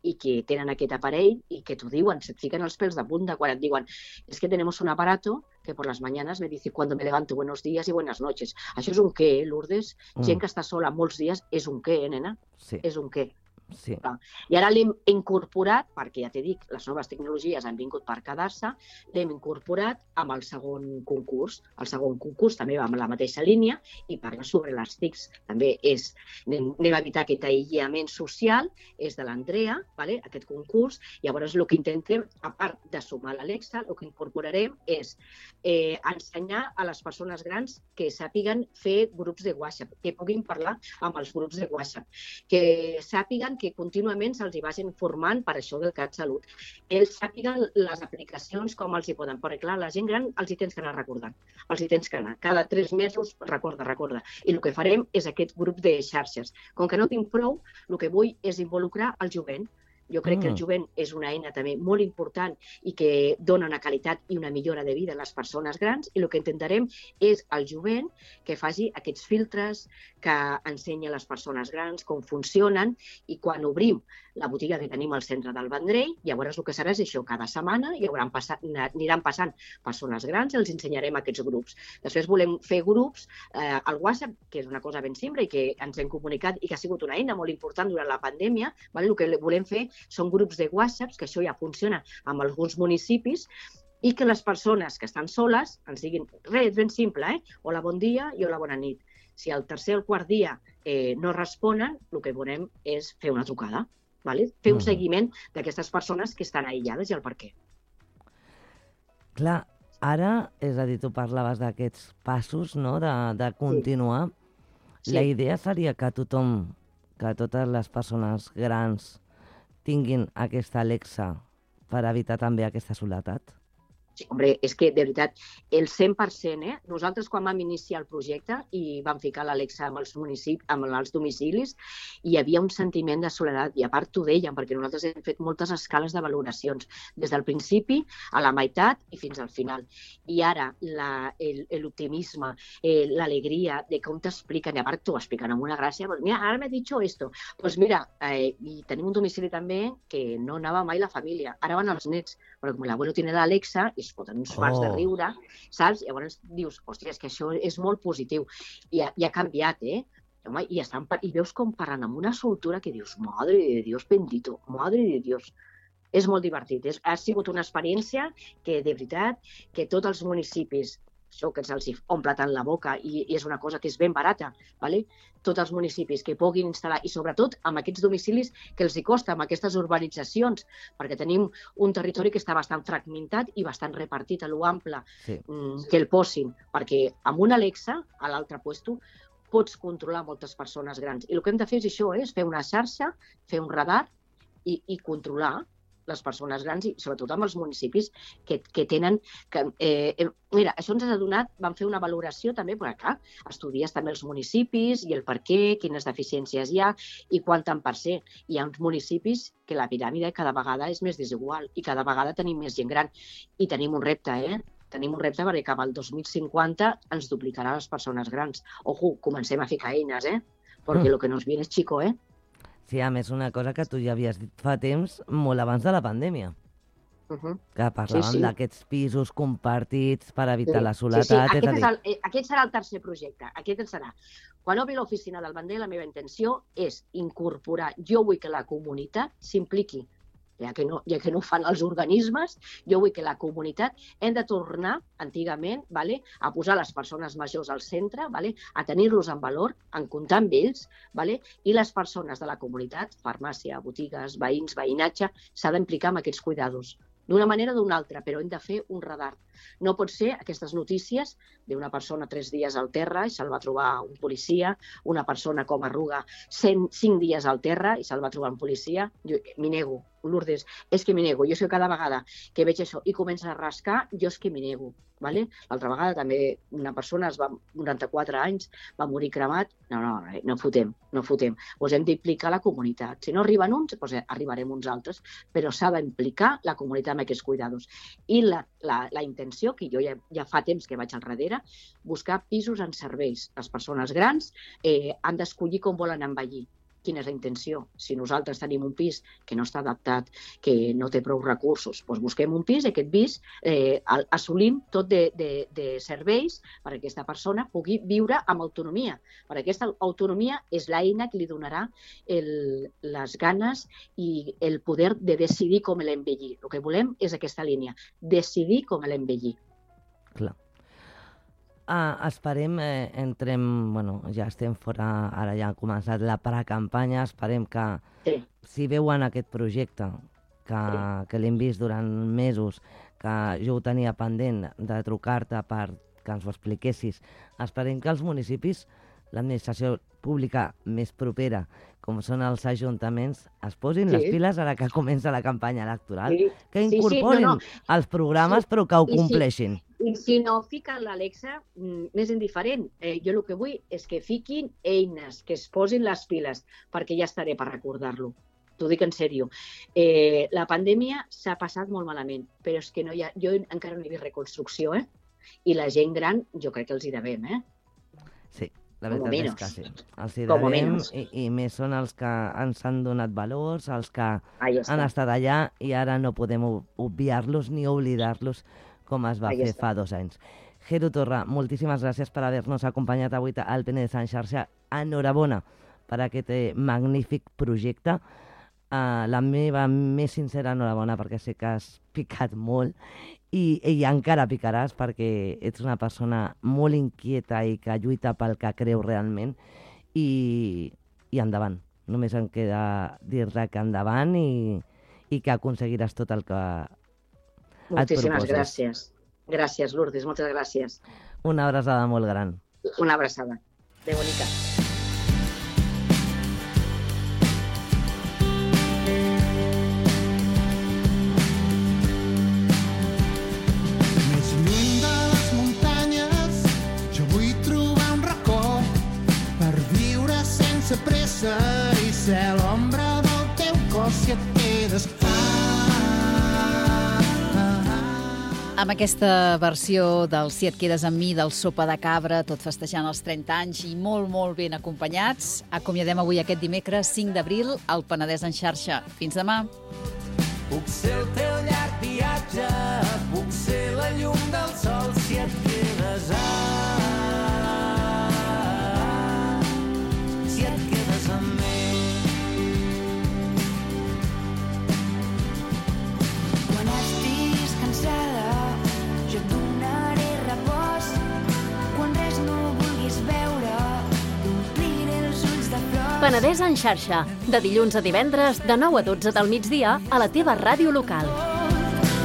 i que tenen aquest aparell i que t'ho diuen, se't fiquen els pèls de punta quan et diuen es que tenemos un aparato que por las mañanas me dice cuando me levanto buenos días y buenas noches. Això és un què, Lourdes? Gent que està sola molts dies és un què, nena? Sí. És un què. Sí. I ara l'hem incorporat, perquè ja t'he dit, les noves tecnologies han vingut per quedar-se, l'hem incorporat amb el segon concurs. El segon concurs també va amb la mateixa línia i parla sobre les TICs. També anem a evitar aquest aïllament social, és de l'Andrea, vale? Aquest concurs. Llavors el que intentem, a part de sumar l'Alexa, el que incorporarem és ensenyar a les persones grans que sàpiguen fer grups de WhatsApp, que puguin parlar amb els grups de WhatsApp, que sàpiguen que contínuament se'ls hi vagin formant per això del CatSalut. Ells sàpiguen les aplicacions com els hi poden, perquè clar, la gent gran els hi tens que anar recordant, els hi tens que anar. Cada 3 mesos, recorda. I el que farem és aquest grup de xarxes. Com que no tinc prou, el que vull és involucrar el jovent. Jo crec que el jovent és una eina també molt important i que dona una qualitat i una millora de vida a les persones grans, i el que intentarem és el jovent que faci aquests filtres, que ensenyi a les persones grans com funcionen, i quan obrim la botiga que tenim al centre del Vendrell, llavors el que serà és això, cada setmana aniran passant persones grans i els ensenyarem aquests grups. Després volem fer grups al WhatsApp, que és una cosa ben simple i que ens hem comunicat i que ha sigut una eina molt important durant la pandèmia. El que volem fer són grups de WhatsApp, que això ja funciona en alguns municipis, i que les persones que estan soles ens diguin, res, ben simple, hola, bon dia i hola, bona nit. Si al tercer o quart dia no responen, el que volem és fer una trucada, fer un seguiment d'aquestes persones que estan aïllades i el per què. Clar, ara, és a dir, tu parlaves d'aquests passos, no?, de continuar. Sí. La idea seria que tothom, que totes les persones grans tinguin aquesta Alexa per evitar també aquesta soledat? Sí, hombre, és que, de veritat, el 100%, nosaltres quan vam iniciar el projecte i vam ficar l'Alexa amb els domicilis, hi havia un sentiment de soledat, i a part t'ho dèiem, perquè nosaltres hem fet moltes escales de valoracions, des del principi a la meitat i fins al final. I ara l'optimisme, l'alegria de com t'expliquen, i a part t'ho expliquen amb una gràcia, pues mira, ara m'he dit esto. Pues mira, i tenim un domicili també que no anava mai la família, ara van els nets, però com l'abuelo tiene l'Alexa, i es foten uns mars de riure, saps? Llavors dius, hòstia, és que això és molt positiu. I ha canviat, Home, i veus com parlen amb una soltura que dius, madre de Dios bendito, madre de Dios. És molt divertit. Ha sigut una experiència que, de veritat, que tots els municipis, això que se'ls omple tant la boca i és una cosa que és ben barata, tots els municipis que puguin instal·lar, i sobretot amb aquests domicilis que els hi costa, amb aquestes urbanitzacions, perquè tenim un territori que està bastant fragmentat i bastant repartit a l'ample, que el posin, perquè amb una Alexa, a l'altre puesto, pots controlar moltes persones grans. I el que hem de fer és això, és fer una xarxa, fer un radar i controlar les persones grans, i sobretot amb els municipis que tenen... Mira, això ens ha donat, vam fer una valoració també, perquè clar, estudies també els municipis i el per què, quines deficiències hi ha i quant tant per ser. Hi ha uns municipis que la piràmide cada vegada és més desigual i cada vegada tenim més gent gran. I tenim un repte, Tenim un repte perquè cap al 2050 ens duplicarà les persones grans. Ojo, comencem a ficar eines, perquè el que nos viene és chico, Sí, a més, una cosa que tu ja havies dit fa temps, molt abans de la pandèmia. Que parlàvem d'aquests pisos compartits per evitar la soledat. Aquest serà el tercer projecte. Aquest serà. Quan obri l'oficina del Vendrell, la meva intenció és incorporar, jo vull que la comunitat s'impliqui, ja que no ho fan els organismes, jo vull que la comunitat hem de tornar, antigament, a posar les persones majors al centre, a tenir-los en valor, en comptar amb ells, i les persones de la comunitat, farmàcia, botigues, veïns, veïnatge, s'ha d'implicar en aquests cuidados. D'una manera o d'una altra, però hem de fer un radar. No pot ser aquestes notícies d'una persona 3 dies al terra i se'l va trobar un policia, una persona com Arruga 5 dies al terra i se'l va trobar un policia. Jo m'hi nego, Lourdes, és que m'hi nego. Jo és que cada vegada que veig això i comença a rascar, jo és que m'hi nego. L'altra vegada també una persona, 94 anys, va morir cremat. No fotem. Doncs hem d'implicar la comunitat. Si no arriben uns, doncs arribarem uns altres, però s'ha d'implicar la comunitat en aquests cuidados. I la intenció, que jo ja fa temps que vaig al darrere, buscar pisos en serveis. Les persones grans han d'escollir com volen envellir. quina és la intenció. Si nosaltres tenim un pis que no està adaptat, que no té prou recursos, doncs busquem un pis i aquest pis assolim tot de serveis perquè aquesta persona pugui viure amb autonomia. Perquè aquesta autonomia és l'eina que li donarà les ganes i el poder de decidir com l'envellir. El que volem és aquesta línia, decidir com l'envellir. Clar. Esperem, ja estem fora, ara ja ha començat la precampanya, esperem que si veuen aquest projecte, que l'hem vist durant mesos, que jo ho tenia pendent de trucar-te perquè ens ho expliquessis, esperem que els municipis, l'administració pública més propera, com són els ajuntaments, es posin les piles ara que comença la campanya electoral, que incorporin els programes però que ho compleixin. I si no fiquen l'Alexa, més indiferent. Jo el que vull és que fiquin eines, que es posin les piles, perquè ja estaré per recordar-lo. T'ho dic en sèrio. La pandèmia s'ha passat molt malament, però és que jo encara no he vist reconstrucció, i la gent gran jo crec que els hi devem, Sí, la veritat és que sí. Els hi devem i més són els que ens han donat valors, els que han estat allà i ara no podem obviar-los ni oblidar-los com es va fer fa 2 anys. Jero Torra, moltíssimes gràcies per haver-nos acompanyat avui al Penedès en xarxa. Enhorabona per aquest magnífic projecte. La meva més sincera enhorabona perquè sé que has picat molt i encara picaràs perquè ets una persona molt inquieta i que lluita pel que creu realment i endavant. Només em queda dir-te que endavant i que aconseguiràs tot el que Moltíssimes gràcies. Gràcies, Lourdes, moltes gràcies. Una abraçada molt gran. Una abraçada. Adéu, bonica. Més lluny de les muntanyes, jo vull trobar un racó per viure sense pressa i ser l'ombra del teu cos si et quedes. Amb aquesta versió del Si et quedes amb mi, del Sopa de Cabra, tot festejant els 30 anys i molt, molt ben acompanyats, acomiadem avui aquest dimecres 5 d'abril al Penedès en xarxa. Fins demà. Puc ser el teu llarg viatge, puc ser la llum del sol si et quedes si et quedes amb mi. Quan estiguis cansada jo et donaré repòs. Quan res no vulguis veure, t'ompliré els ulls de flors. Penedès en xarxa, de dilluns a divendres, de 9 a 12 del migdia, a la teva ràdio local.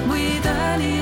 Vull tenir